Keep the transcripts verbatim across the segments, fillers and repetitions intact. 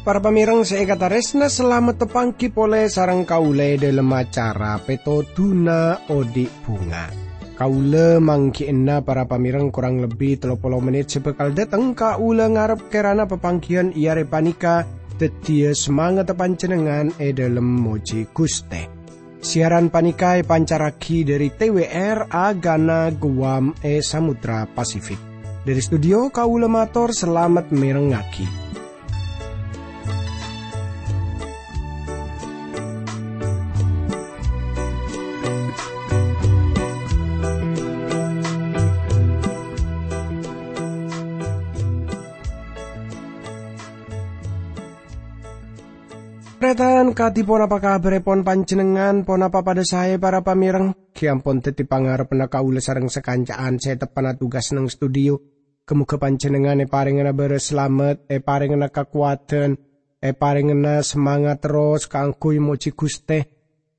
Para pamèreng sè èkatarèsna, salamet tapangghi polè sareng kaulâ è dhâlem acara Pètodhuna Odi' Bhunga. Kaulâ mangghi'ânna para pamèreng korang lebbi tello polo mennit sè bhâkal dâteng. Kaulâ ngarep kèrana papangghiyân è arè panèka dhâddhiyâ samangatta panjhennengngan è dhâlem mojhi Ghustè. Siaran panèka èpancarraghi dhâri T W R Agana Guam è Samudra Pasifik. Dhâri studio, kaulâ mator salamet mèrengngaghi. Tarètan, kadhi ponapa kabhârèpon panjhennengngan? Ponapa padâ saè, para pamèreng? Ghi' ampon dhâddhi pangarebbhânna kaulâ sareng sakanca'an sè teppa'na tugas neng studio. Ghâ-mogâ panjhennengngan èparèngana bârâs salamet, èparèngana kakowadhân, èparèngana samangat terros kaangghuy mojhi Ghustè.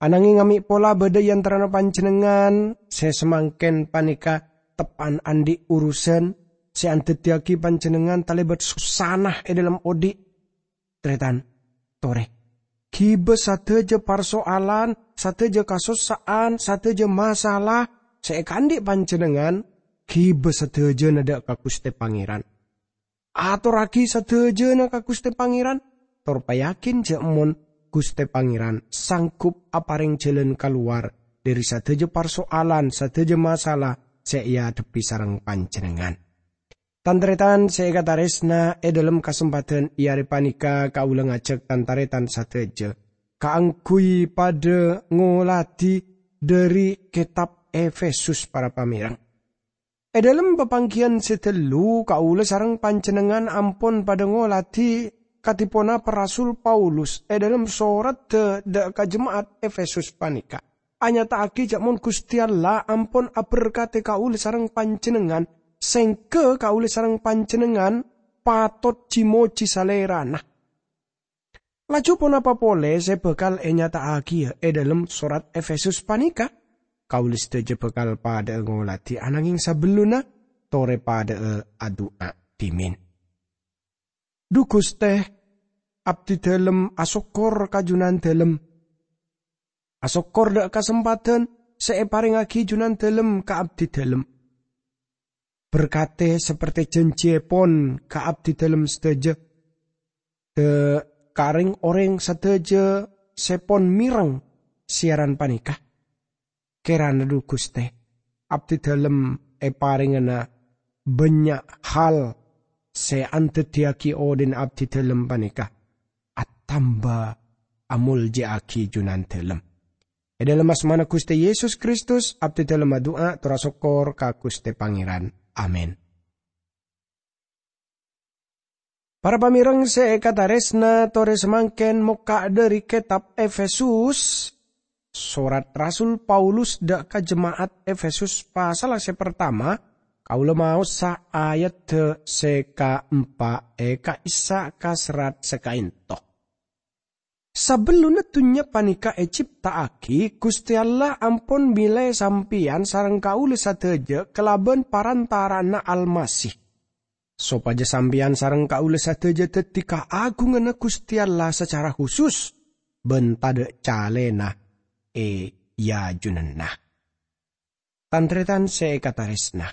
Ananghing amè' pola bâdâ è antarana panjhennengngan sè samangkèn panèka teppa'na andi' urusan sè andhâddhiyâghi panjhennengngan talèbât sossana è dhâlem odi'. Tarètan, torè. Ghibâ sadhâjâ parsoalan, sadhâjâ kasossa'an, sadhâjâ masalah sè èkaandi' panjhennengngan, ghibâ sadhâjâna dâ' ka Ghustè Pangèran. Atorraghi sadhâjâna ka Ghustè Pangèran, tor payakin jhâ' mon Ghustè Pangèran sanggup aparèng jhâlân kalowar dhâri sadhâjâ parsoalan, sadhâjâ masalah sè èadhebbhi sareng panjhennengngan. Tan-tarètan sè èkatarèsna, è dhâlem kasempadhân è arè panèka kaulâ ngajhâk tan-tarètan sadhâjâ kaangghuy padâ ngoladhi dhâri kètab Efesus, para pamèreng. È dhâlem papangghiyân sè ghâllu, kaulâ sareng panjhennengngan ampon padâ ngoladhi kadhi ponapa Rasul Paulus è dhâlem soradda dâ' ka jema'at Efesus panèka. Anyata'aghi jhâ' mon Ghustè Allah ampon aberkadhi kaulâ sareng panjhennengngan, sèngghâ kaulâ sareng panjhennengngan patot ji-mojhi Salèrana. Laju ponapa polè sè bhâkal ènyata'aghiyâ è dhâlem sorat Efesus panèka? Kaulâ sadhâjâ bhâkal padâ'â ngoladhi, ananghing sabellunna, torè padâ'â adu'a dhimèn. Dhu Ghustè, abdhidhâlem asokkor ka Junandhâlem. Asokkor dâ' kasempadhân sè èparèngaghi Junandhâlem ka abdhidhâlem. Berkadhi saperte janjiyèpon ka abdhidhâlem sadhâjâ, dâ' ka rèng-orèng sadhâjâ sè pon mèreng siaran panèka. Kèrana, dhu Ghustè, abdhidhâlem èparèngana bânnya' hal sè andhâddhiyâghi odhi'na abdhidhâlem panèka atamba amolja'aghi Junandhâlem. È dhâlem asmana Ghustè Yesus Kristus, abdhidhâlem adu'a tor asokkor ka Ghustè Pangèran. Amin. Para pamèreng sè èkatarèsna, torè samangkèn mokka' dhâri kètab Efesus, sorat Rasul Paulus dâ' ka jema'at Efesus pasalla sè partama, kaulâ maosa ayadda sè kaempa' è ka'issa' ka serrat sè kaènto. Sabellunna dhunnya panèka ècipta'aghi, Ghustè Allah ampon mèlè sampèyan sareng kaulâ sadhâjâ kalabân parantara'anna Almasih, sopajâ sampèyan sareng kaulâ sadhâjâ dhâddhi kaagunganna Ghustè Allah sacara husus, bân tadâ' calèna è ajunanna. Tan-tarètan sè èkatarèsna.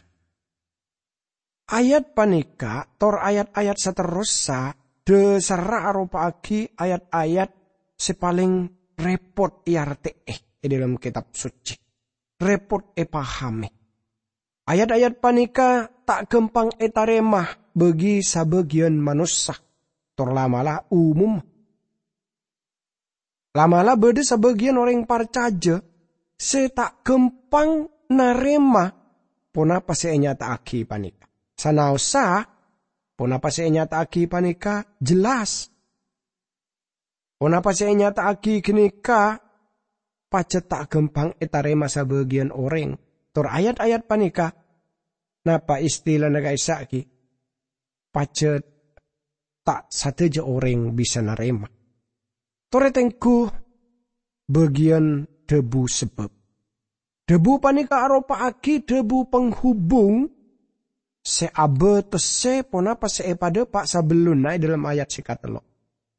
Ayat panèka tor ayat-ayat saterrossa dhâsarra aropa'aghi ayat-ayat sè palèng rèpot èartè'è è dhâlem Kètab Soccè. Rèpot èpahamè. Ayat-ayat panèka ta' ghâmpang ètarèma bagi sabâgiyân manossa, tor la'-mala' umum. La'-mala' bâdâ sabâgiyân orèng parcajâ sè ta' ghâmpang narèma ponapa sè ènyata'aghi panèka. Sanaossa ponapa sè ènyata'aghi panèka jelas. Ponapa sè ènyata'aghi ghânèka pajhât ta' ghâmpang ètarèma sabâgiyân orèng. Tor ayat-ayat panèka, napa istilana ka'issa' ghi? Pajhât ta' sadhâjâ orèng bisa narèma. Torè tengghu bâgiyân dhâbu sabâb. Dhâbu panèka aropa'aghi dhâbu panghubung sè abâtessè ponapa sè èpadhâpa' sabellunna è dhâlem ayat sè katello'.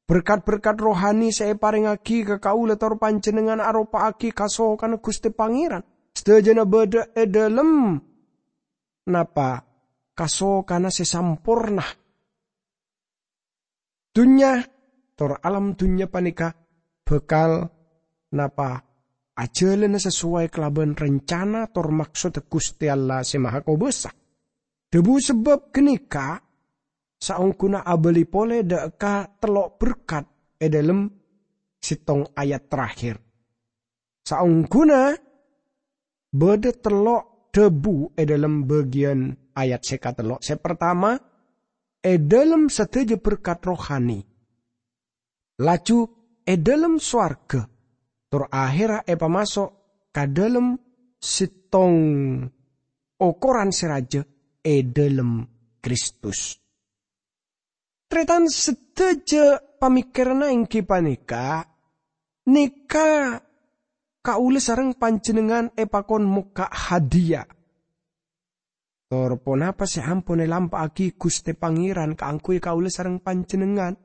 Berkat-berkat rohani sè èparèngngaghi ka kaulâ tor panjhennengngan aropa'aghi kasokanna Ghustè Pangèran. Sadhâjâna bâdâ è dhâlem napa? Kasokanna sè samporna. Dhunnya, tor alam dhunnya panèka bhâkal napa? Ajhâlâna sasoway kalabân rencana tor maksodda Ghustè Allah Sè Mahakobâsa. Dhâbu sabâb ghânèka saongghuna abâli polè dâ' ka tello' berkat è dhâlem sèttong ayat terakhir. Saongghuna bâdâ tello' dhâbu è dhâlem bâgiyân ayat sè katello'. Sè partama, è dhâlem sadhâjâ berkat rohani. Laju è dhâlem sowarghâ, tor ahèrra èpamaso' ka dhâlem sèttong okoran sè rajâ è dhâlem Kristus. Tarètan, sadhâjâ pamèkkèranna èngghi panèka, nèka kaulâ sareng panjhennengngan èpakon mokka' hadiya. Tor ponapa sè ampon èlampa'aghi Ghustè Pangèran kaangghuy kaulâ sareng panjhennengngan?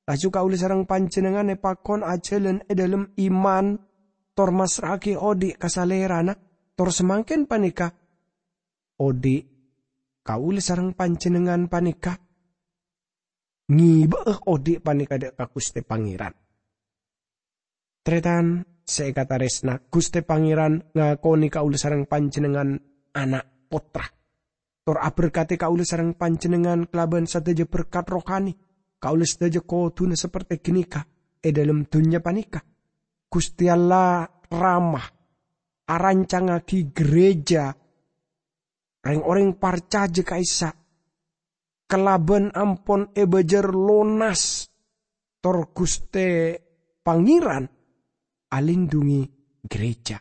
Laju kaulâ sareng panjhennengngan èpakon ajhâlân è dhâlem iman, tor massra'aghi odi' ka Salèrana, tor samangkèn panèka odi' kaulâ sareng panjhennengngan panèka ngèbâ'â odi' panèka dâ' ka Ghustè Pangèran. Tarètan sè èkatarèsna, Ghustè Pangèran ngakonè kaulâ sareng panjhennengngan ana' pottra, tor aberkadhi kaulâ sareng panjhennengngan kalabân sadhâjâ berkat rohani. Kaulâ sadhâjâ kodhuna saperte ghânèka è dhâlem dhunnya panèka. Ghustè Allah Rama arancangngaghi gereja rèng-orèng parcajâ ka'issa' kalabân ampon èbâjâr lonas, tor Ghustè Pangèran alindhungi gereja.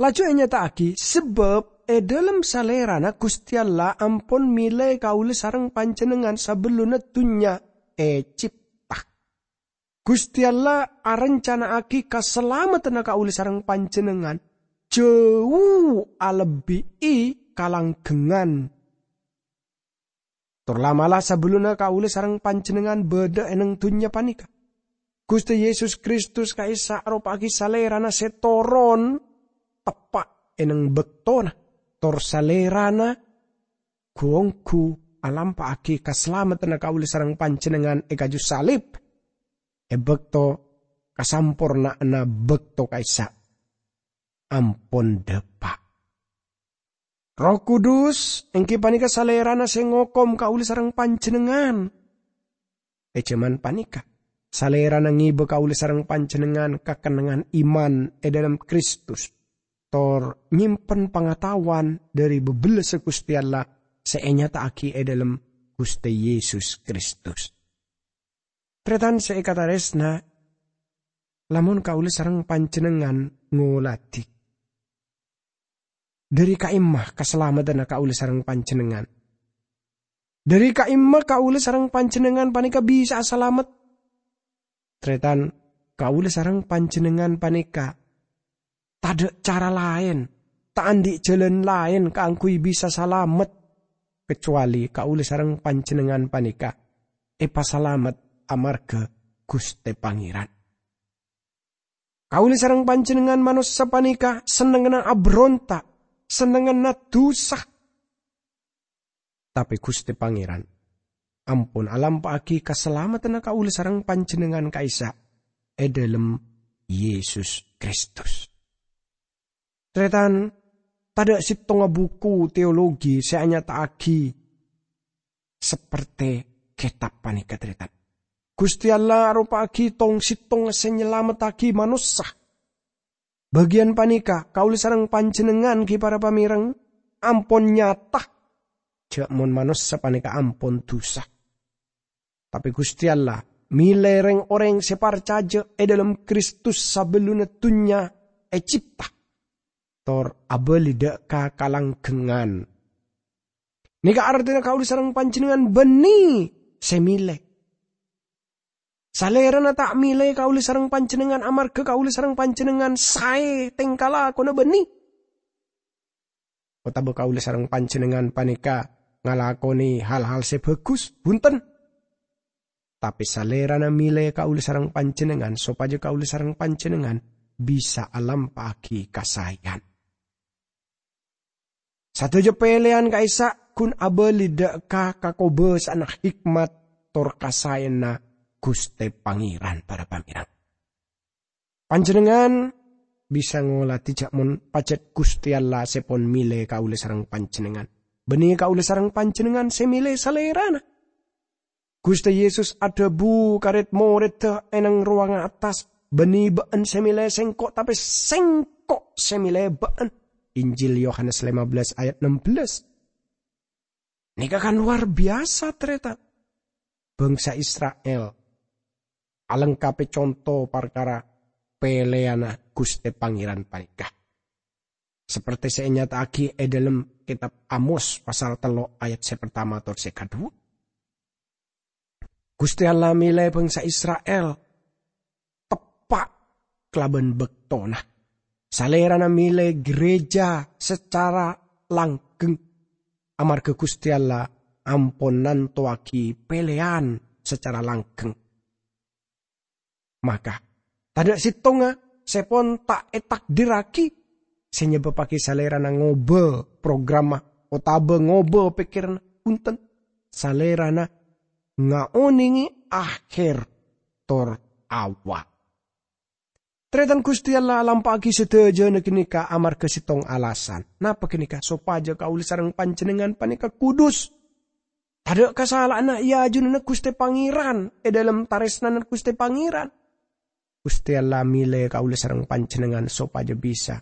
Laju ènyata'aghi, sabâb è dhâlem Salèrana Ghustè Allah ampon mèlè kaulâ sareng panjhennengngan sabellunna dhunnya ècèpta. Ghustè Allah arancana'aghi kasalameddhânna kaulâ sareng panjhennengngan jhâu alebbi'i kalanggengngan. Tor la'-mala' sabellunna kaulâ sareng panjhennengngan bâdâ è neng dhunnya panèka, Ghustè Yesus Kristus ka'issa' aropa'aghi Salèrana sè toron teppa' è neng bâktona, tor Salèrana ghu-ongghu alampa'aghi kasalameddhânna kaulâ sareng panjhennengngan è kaju salib, è bâkto kasamporna'anna bâkto ka'issa' ampon dâpa'. Erroh Kudus èngghi panèka Salèrana sè ngokom kaulâ sareng panjhennengngan. È jhâman panèka, Salèrana ngèbâ kaulâ sareng panjhennengngan kakennengngan iman è dhâlem Kristus, tor nyèmpen pangataowan dhâri bâbellâssa Ghustè Allah sè ènyata'aghi è dhâlem Ghustè Yesus Kristus. Tarètan sè èkatarèsna, lamon kaulâ sareng panjhennengngan ngoladhi, dhâri ka'imma kasalameddhânna kaulâ sareng panjhennengngan? Dhâri ka'imma kaulâ sareng panjhennengngan panèka bisa'a salamet? Tarètan, kaulâ sareng panjhennengngan panèka tadâ' cara laèn, ta' andi' jhâlân laèn kaangghuy bisa salamet, kacowalè kaulâ sareng panjhennengngan panèka èpasalamet amarghâ Ghustè Pangèran. Kaulâ sareng panjhennengngan manossa panèka sennengnganna abhâronta', sennengnganna dhusa. Tapè Ghustè Pangèran ampon alampa'aghi kasalameddhânna kaulâ sareng panjhennengngan ka'issa' è dhâlem Yesus Kristus. Tarètan, tadâ' sèttonga buku teologi sè anyata'aghi saperte kètab panèka, tarètan. Ghustè Allah aropa'aghi tong-sèttonga sè nyalamettaghi manossa. Bâgiyân panèka, kaulâ sareng panjhennengngan, ghi para pamèreng, ampon nyata jhâ' mon manossa panèka ampon dhusa. Tapè Ghustè Allah mèlè rèng-orèng sè parcajâ è dhâlem Kristus sabellunna dhunnya ècèpta, tor abâli dâ' ka kalanggengngan. Nèka artèna kaulâ sareng panjhennengngan bânnè sè mèlè. Salèrana ta' mèlè kaulâ sareng panjhennengngan amarghâ kaulâ sareng panjhennengngan saè tèngka lakona bânnè, otabâ kaulâ sareng panjhennengngan panèka ngalakonè hal-hal sè bhâghus, bhunten. Tapè Salèrana mèlè kaulâ sareng panjhennengngan sopajâ kaulâ sareng panjhennengngan bisa alampa'aghi kasaèyan. Sadhâjâ pèlèyan ka'issa' ghun abâli dhâ' ka kakobâsa'anna hikmat tor kasaèyanna Ghustè Pangèran, para pamèreng. Panjhennengngan bisa ngolatè jhâ' mon pajhât Ghustè Allah sè pon mèlè kaulâ sareng panjhennengngan, bânnè kaulâ sareng panjhennengngan sè mèlè Salèrana. Ghustè Yesus adhâbu ka red-morèdda è nang rowangnga attas, "Bânnè bâ'ân sè mèlè Sèngko', tapè Sèngko' sè mèlè bâ'ân." Injil Yohanes lima belas ayat enam belas. Nèka kan lowar biyasa, tarètan. Bangsa Isra'il alengkapè conto parkara pèlèyanna Ghustè Pangèran panèka. Sapertè sè ènyata'aghi è dhâlem kètab Amos pasal tello' ayat sè partama tor sè kaduwâ. Ghustè Allah mèlè bangsa Isra'il teppa' kalabân bâktona. Salèrana mèlè ghârèjâ sacara langghâng, amarghâ Ghustè Allah ampon nantowaghi pèlèyan sacara langghâng. Maka, tadâ' sèttonga sè pon ta' ètakdirraghi sè nyebâbbhâghi Salèrana ngobâ programma otabâ ngobâ pèkkèranna. Bhunten, Salèrana ngaonèngè akhèr tor awal. Tarètan, Ghustè Allah alampa'aghi sadhâjâna ghânèka amarghâ sèttong alasan. Napa ghânèka? Sopajâ kaulâ sareng panjhennengngan panèka kudus. Tadâ' kasala'anna è ajunanna Ghustè Pangèran, è dhâlem tarèsnana Ghustè Pangèran. Ghustè Allah mèlè kaulâ sareng panjhennengngan sopajâ bisa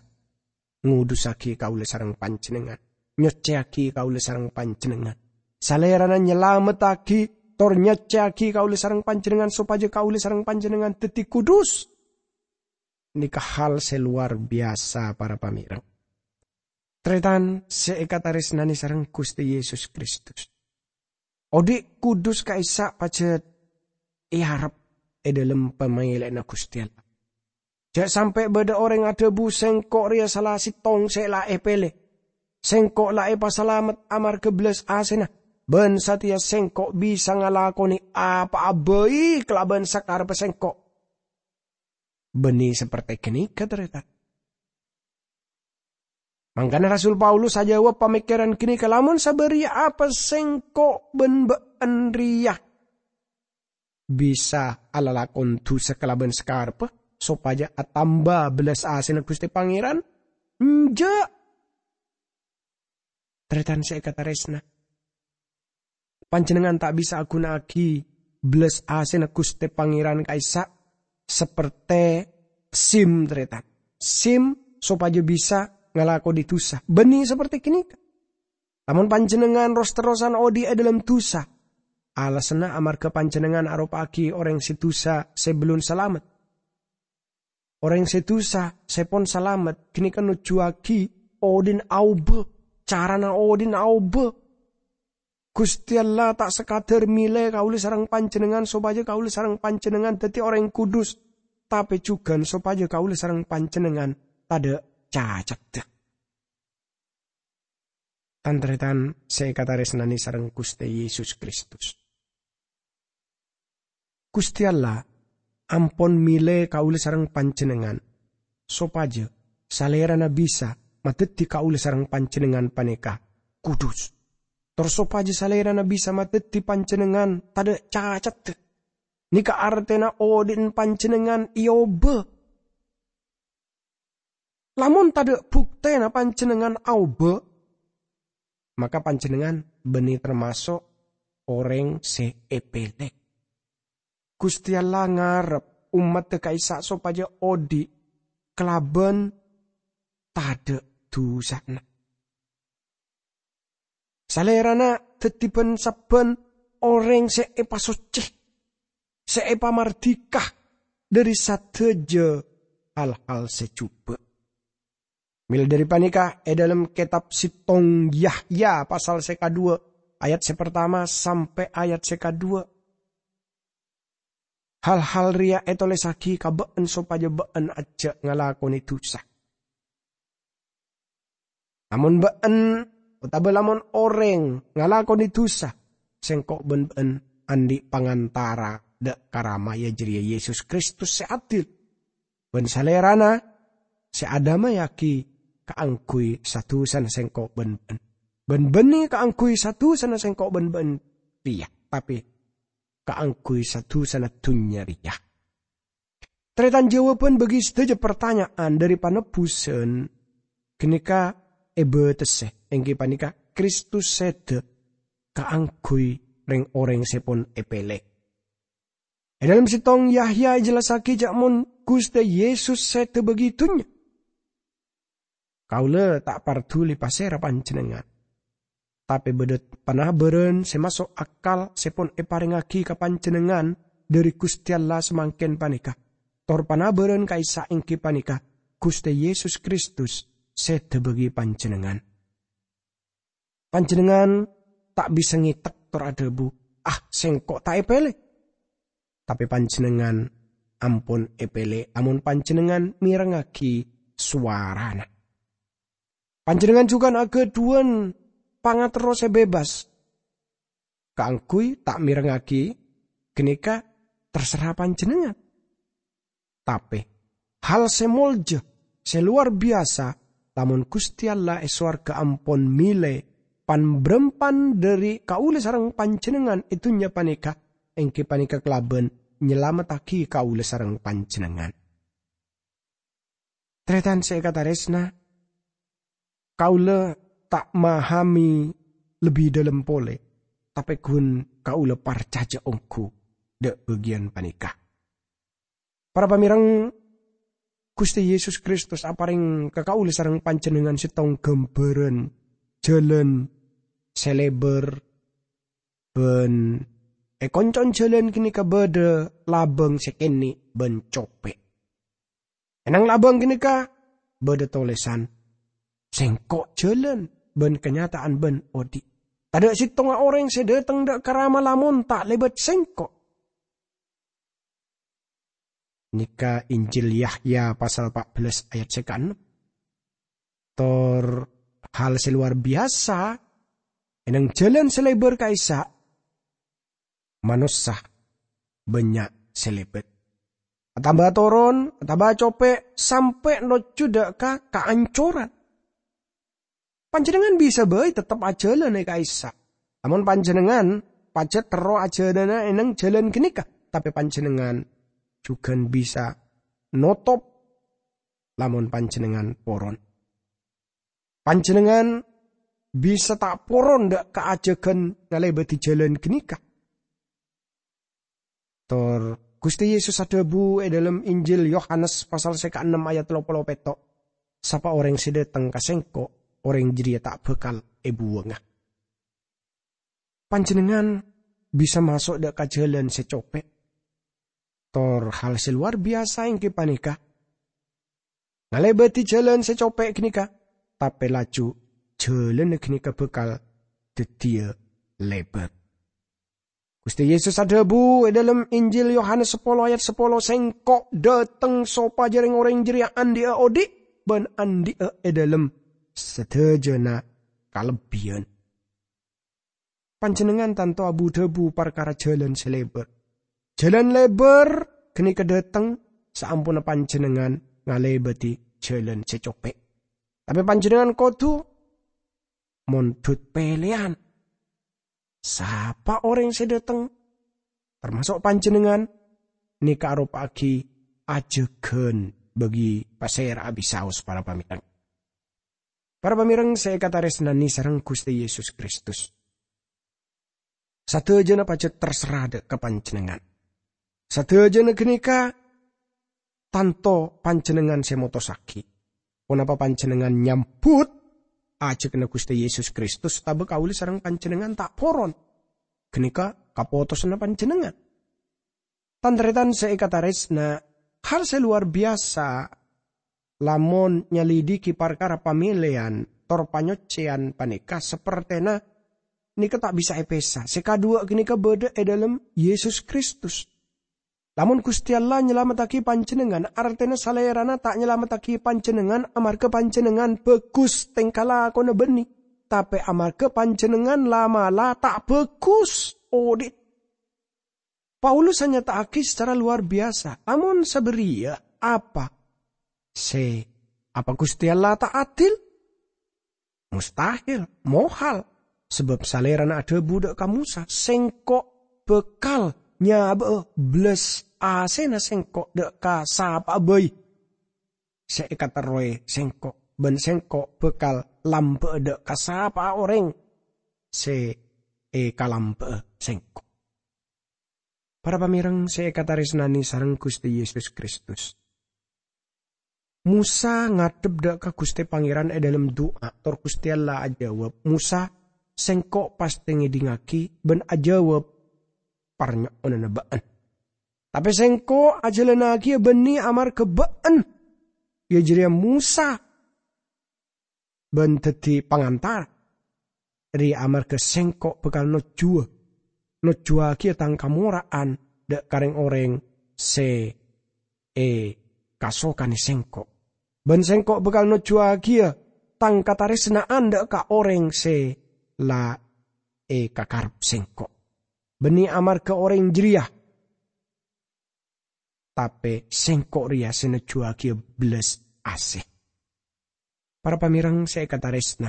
ngodussaghi kaulâ sareng panjhennengngan, nyoccèyaghi kaulâ sareng panjhennengngan. Salèrana nyalamettaghi tor nyoccèyaghi kaulâ sareng panjhennengngan sopajâ kaulâ sareng panjhennengngan dhâddhi kudus. Nèka hal sè lowar biyasa, para pamèreng. Tarètan sè èkatarèsnanè sareng Ghustè Yesus Kristus. Odi' kudus ka'issa' pajhât èarep è dhâlem pamèlèyanna Ghustè Allah. Jhâ' sampè' bâdâ orèng adhâbu, "Sèngko' rèya sala sèttong sè la èpèlè. Sèngko' la èpasalamet amarghâ bellas asèna, bân satèya sèngko' bisa ngalakonè apa'a bhâi kalabân sakarebbhâ sèngko'." Bânnè sapertè ghânèka, tarètan. Mangkana Rasul Paulus ajâwâb pamèkkèran ghânèka, "Lamon sabâriyâ apa sèngko' bân bâ'ân rèya bisa alalakon dhusa kalabân sakarebbhâ sopajâ atamba bellas asèna Ghustè Pangèran? Enjâ'!" Tarètan sè èkatarèsna, panjhennengngan ta' bisa aghuna'aghi bellas asèna Ghustè Pangèran ka'issa' sapertè SIM, tarètan. SIM sopajâ bisa ngalakonè dhusa. Bânnè sapertè ghânèka. Lamon panjhennengngan ros-terrosan odi' è dhâlem dhusa, alasanna amarghâ panjhennengngan aropa'aghi orèng sè dhusa sè bellun salamet. Orèng sè dhusa sè pon salamet ghânèka nojjhuwâghi odi'na aobâ, carana odi'na aobâ. Ghustè Allah ta' sakadhâr mèlè kaulâ sareng panjhennengngan sopajâ kaulâ sareng panjhennengngan dhâddhi orèng kudus, tapè jhughân sopajâ kaulâ sareng panjhennengngan tadâ' cacaddhâ. Tan-tarètan sè èkatarèsnanè sareng Ghustè Yesus Kristus. Ghustè Allah ampon mèlè kaulâ sareng panjhennengngan, sopajâ Salèrana bisa madhâddhi kaulâ sareng panjhennengngan panèka kudus. Tor sopajâ Salèrana bisa madhâddhi panjhennengngan tadâ' cacaddhâ. Nèka artèna odi'na panjhennengngan èobâ. Lamon tadâ' buktèna panjhennengngan aobâ, maka panjhennengngan bânnè tamaso' orèng sè èpèlè. Ghustè Allah ngarep ommaddhâ ka'issa' sopajâ odi' kalabân tadâ' dhusana. Salèrana dhâddhi bân-sabbhân orèng sè èpasoccè, sè èpamardhika dhâri sadhâjâ hal-hal sè jhubâ'. Mèla dhâri panèka, è dhâlem kètab sèttong Yahya pasal sè kaduwâ, ayat sè partama sampè' ayat sè kaduwâ, Hal-hal rèya ètolèssaghi ka bâ'ân sopajâ bâ'ân ajjhâ' ngalakonè dhusa. Lamon bâ'ân otabâ lamon orèng ngalakonè dhusa, sèngko' bân bâ'ân andi' pangantara dâ' ka Rama, yâ jârèya Yesus Kristus sè adil, bân Salèrana sè adâmaèyaghi kaangghuy sa-dhusana sèngko' bân bâ'ân, bân bânnè kaangghuy sa-dhusana sèngko' bân bâ'ân rèya, tapè kaangghuy sa-dhusana dhunnya rèya. Tarètan, jâwâbhân bagi sadhâjâ partanya'an dâri panebbusan ghânèka èbâtessè, èngghi panèka Kristus sèdhâ kaangghuy rèng-orèng sè pon èpèlè. È dâlem sèttong Yahya èjellassaghi jâ' mon Ghustè Yesus sèdhâ bâgi dhunnya. Kaulâ ta' parduli pasèra panjhennengngan, tapè bâdâ panabârân sè maso' akal sè pon èparèngaghi ka panjhennengngan dâri Ghustè Allah samangkèn panèka, tor panabârân ka'issa' èngghi panèka Ghustè Yesus Kristus sèdhâ bâgi panjhennengngan. Panjhennengngan ta' bisa ngètek tor adhâbu, "Ah, sèngko' ta' èpèlè." Tapè panjhennengngan ampon èpèlè lamon panjhennengngan mèrengngaghi sowarana. Panjhennengngan jhughân aghâdhuwân pangaterro sè bebas. Kaangghuy ta' mèrengngaghi ghânèka terserra panjhennengngan. Tapè, hal sè molja, sè lowar biyasa, lamon Ghustè Allah è sowarghâ ampon mèlè pan-bârâmpan dâri kaulâ sareng panjhennengngan è dhunnya panèka, èngghi panèka kalabân nyalamettaghi kaulâ sareng panjhennengngan. Tarètan sè èkatarèsna, kaulâ ta' mahamè lebbi dâlem polè, tapè ghun kaulâ parcajâ ongghu dâ' bâgiyân panèka. Para pamèreng, Ghustè Yesus Kristus aparèng ka kaulâ sareng panjhennengngan sèttong ghâmbhârân jhâlân sè lèbâr, bân è koncon jhâlân ghânèka bâdâ labâng sè kènè' bân copè'. È nang labâng ghânèka bâdâ tolèsan, "Sèngko' jhâlân bân kanyata'an bân odi'. Tadâ' sèttonga orèng sè dâteng dâ' ka Rama lamon ta' lèbât Sèngko'." Nèka Injil Yahya pasal pa' bellâs ayat sè kaennem. Tor hal sè lowar biyasa, è nang jhâlân sè lèbâr ka'issa', manossa bânnya' sè lèbât. Atamba toron, atamba copè', sampè' nojjhu dâ' ka kaancoran. Panjhennengngan bisa bhâi tettep ajhâlân è ka'issa'. Lamon panjhennengngan pajhât terro ajhâlâna è nang jhâlân ghânèka, tapè panjhennengngan jhughân bisa notop lamon panjhennengngan poron. Panjhennengngan bisa ta' poron dâ' ka ajhâghân ngalèbâdhi jhâlân ghânèka. Tor Ghustè Yesus adhâbu è dâlem Injil Yohanes pasal sè kaennem ayat tello polo pètto', "Sapa orèng sè dâteng ka Sèngko', orèng jârèya ta' bhâkal èbuwângnga." Panjhennengngan bisa maso' dâ' ka jhâlân sè copè'. Tor hal sè lowar biyasa èngghi panèka, ngalèbâdhi jhâlân sè copè' ghânèka, tapè laju jhâlânna ghânèka bhâkal dhâddhiyâ lèbâr. Ghustè Yesus adhâbu è dâlem Injil Yohanes sapolo ayat sapolo, "Sèngko' dâteng sopajâ rèng-orèng jârèya andi'â odi' bân andi'â è dâlem sadhâjâna kalebbiyân." Panjhennengngan tanto abu-dhâbu parkara jhâlân sè lèbâr. Jhâlân lèbâr ghânèka dâteng saamponna panjhennengngan ngalèbâdhi jhâlân sè copè'. Tapè panjhennengngan kodhu mondhut pèlèyan. Sapa orèng sè dâteng, tamaso' panjhennengngan, nèka aropa'aghi ajhâghân bâgi pasèra'a bisaos para pamèreng. Para pamèreng sè èkatarèsnanè sareng Ghustè Yesus Kristus. Sadhâjâna pajhât terserra dâ' ka panjhennengngan. Sadhâjâna ghânèka tanto panjhennengngan sè motossaghi. Ponapa panjhennengngan nyambhut ajhâghânna Ghustè Yesus Kristus, otabâ kaulâ sareng panjhennengngan ta' poron? Ghânèka kapotosanna panjhennengngan. Tan-tarètan sè èkatarèsna, hal sè lowar biyasa lamon nyalidhighi parkara pamèlèyan tor panyoccèyan panèka sapertèna nèka ta' bisa èpèsa. Sè kadhuwâ' ghânèka bâdâ è dâlem Yesus Kristus. Lamon Guste Allah nyalamettagi panjennengngan, artena Salerana ta' nyalamettagi panjennengngan amarga panjennengngan bagus tengka lakona banne, tape amarga panjennengngan la'-mala' ta' bagus odhi'. Paulus anyata'agi sacara lowar biyasa, lamon sabariya, apa se, apa Guste Allah ta' adil? Mustahil, mohal, sabab Salerana adhabu dha' ka Mosa, "Sengko' bakal nyaba'a bellas asena Sengko' dha' ka sapa'a bai se ekaterrowe Sengko', ban Sengko' bakal lamba'a dha' ka sapa'a oreng se ekalamba'a Sengko'." Para pamereng se ekataresnane sareng Guste Yesus Kristus, Mosa ngadhep dha' ka Guste Pangeran e dhalem du'a, tor Guste Allah ajawab, "Mosa, Sengko' paste ngedhingngagi ban ajawab parnyo'onanna ba'en. Tape Sengko' ajalannagiya banne amarga ba'en, iya jareya Mosa, ban daddi pangantar. Reya amarga Sengko' bakal nojjuwa, nojjuwagiya Tang kamora'an dha' ka reng-oreng se ekasokane Sengko'. Ban Sengko' bakal nojjuwagiya Tang kataresna'an dha' ka oreng se la ekakarep Sengko'. Banne amarga oreng jareya, tape Sengko' reya se nojjuwagiya bellas ase." Para pamereng se ekataresna,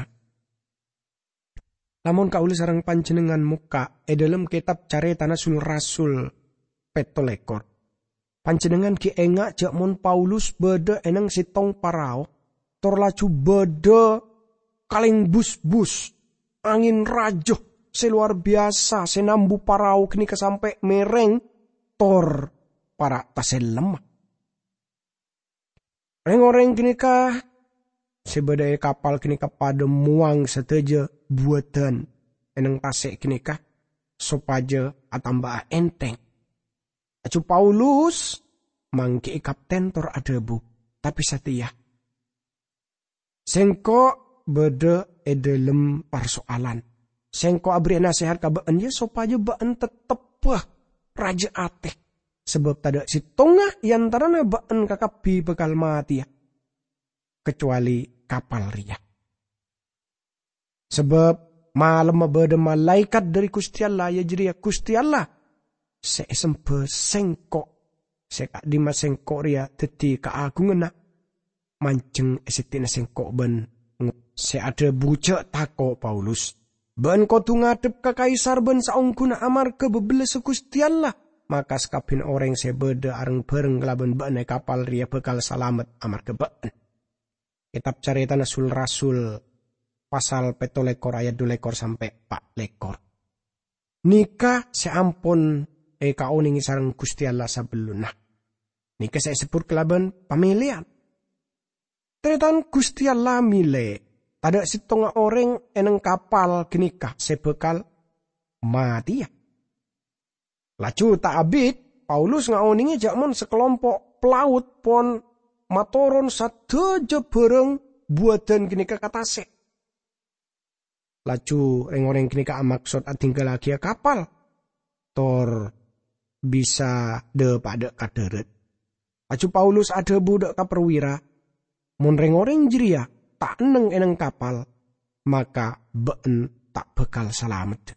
lamon kaula sareng panjennengngan mokka' e dhalem ketab Caretana Sul-Rasul petto lekor, panjennengngan gi' enga' ja' mon Paulus badha e neng settong parao, tor laju badha kaleng bus-bus, angin raja se lowar biyasa se nambu parao ganeka sampe' mereng, tor para' tasellemma. Reng-oreng ganeka se badha e kapal ganeka padha mowang sadaja buwadan e neng tase' ganeka sopaja atamba'a enteng. Laju Paulus manggi'i kapten tor adhabu, "Tape sateya, sengko' badha e dhalem parso'alan. Sengko' aberri' nasehat ka ba'en, ya, sopaja ba'en tettebba raja ate, sabab tadha' settonga e antarana ba'en kakabbhi bakal mateya, kacowali kapal reya. Sabab malemma badha malaekat dhari Guste Allah, iya jareya Guste Allah se esemba sengko', se ka'dhimma sengko' reya daddi kaagunganna, manjeng e seddi'na sengko' ban ngo-," se adhabu ja' tako', Paulus. "Ba'en kodu ngadhep ka Kaisar ban saongguna amarga babellassa Guste Allah, maka sakabbiyanna oreng se badha areng-bareng kalaban ba'en e kapal reya bakal salamet amarga ba'en." Ketab Caretana Sul-Rasul, pasal petto lekor ayat dhu lekor sampe' pa' lekor. Neka se ampon ekaonenge sareng Guste Allah sabellunna. Neka se esebbut kalaban pameleyan. Taretan, Guste Allah mele tadha' settonga oreng e neng kapal ganeka se bakal mateya. Laju ta' abit, Paulus ngaonenge ja' mon sakalompo' pelaut pon matoron sadaja barang buwadan ganeka ka tase'. Laju reng-oreng ganeka amaksod adinggalagiya kapal, tor bisa dha-padha ka dharat. Laju Paulus adhabu dha' ka perwira, "Mon reng-oreng jareya ta' enneng e neng kapal, maka ba'en ta' bakal salamet."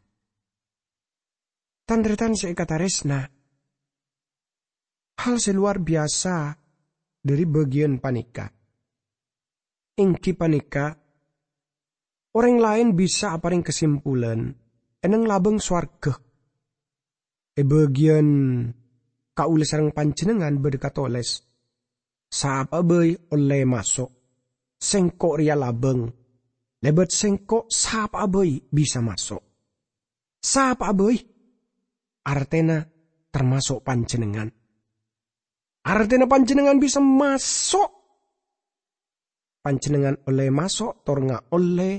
Tan-taretan se ekataresna, hal se lowar biyasa dhari bagiyan paneka, enggi paneka, oreng laen bisa apareng kasimpulan e neng labang sowarga. E bagiyan kaula sareng panjennengngan badha katoles, "Sapa'a bai olle maso'. Sengko' reya labang. Lebat Sengko' sapa'a bai bisa maso'." Sapa'a bai, artena tamaso' panjennengngan. Artena panjennengngan bisa maso'. Panjennengngan olle maso' tor ngaolle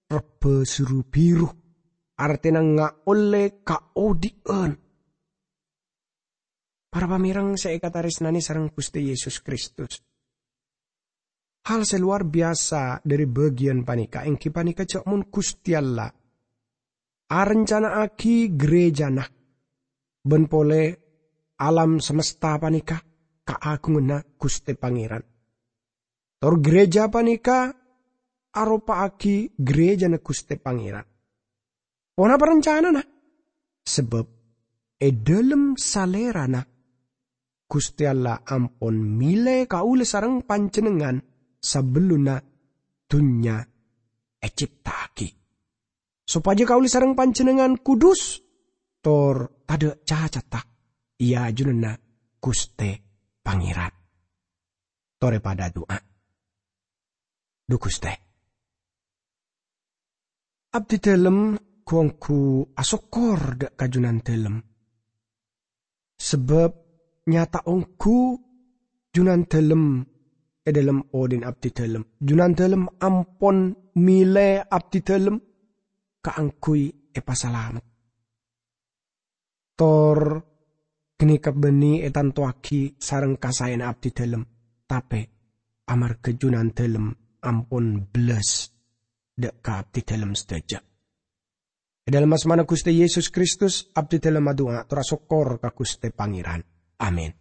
rebba suru biru, artena ngaolle kaodhi'an. Para pamereng se ekataresnane sareng Guste Yesus Kristus, hal se lowar biyasa dhari bagiyan paneka enggi paneka ja' mon Guste Allah arencana'agi gerejana, ban pole alam samesta panèka kaagunganna Ghustè Pangèran. Tor ghârèjâ panèka aropa'aghi ghârèjâna Ghustè Pangèran. Ponapa rancanana? Sabâb è dhâlem Salèrana, Ghustè Allah ampon mèlè kaulâ sareng panjhennengngan sabellunna dhunnya ècipta'aghi, sopajâ kaulâ sareng panjhennengngan kudus tor tadâ' cacata è ajunanna Ghustè Pangèran. Torè padâ adu'a. Dhu Ghustè, abdidhâlem ghu-ongghu asokkor dâ' ka Junandhâlem. Sabâb nyata ongghu Junandhâlem è dhâlem odhi'na abdidhâlem. Junandhâlem ampon mèlè abdidhâlem kaangghuy èpasalamet. Tor ghânèka bânnè ètantowaghi sareng kasaèna abdidhâlem, tapè amarghâ Junandhâlem ampon bellas dâ' ka abdidhâlem sadhâjâ. È dhâlem asmana Ghustè Yesus Kristus, abdidhâlem adu'a tor asokkor ka Ghustè Pangèran. Amin.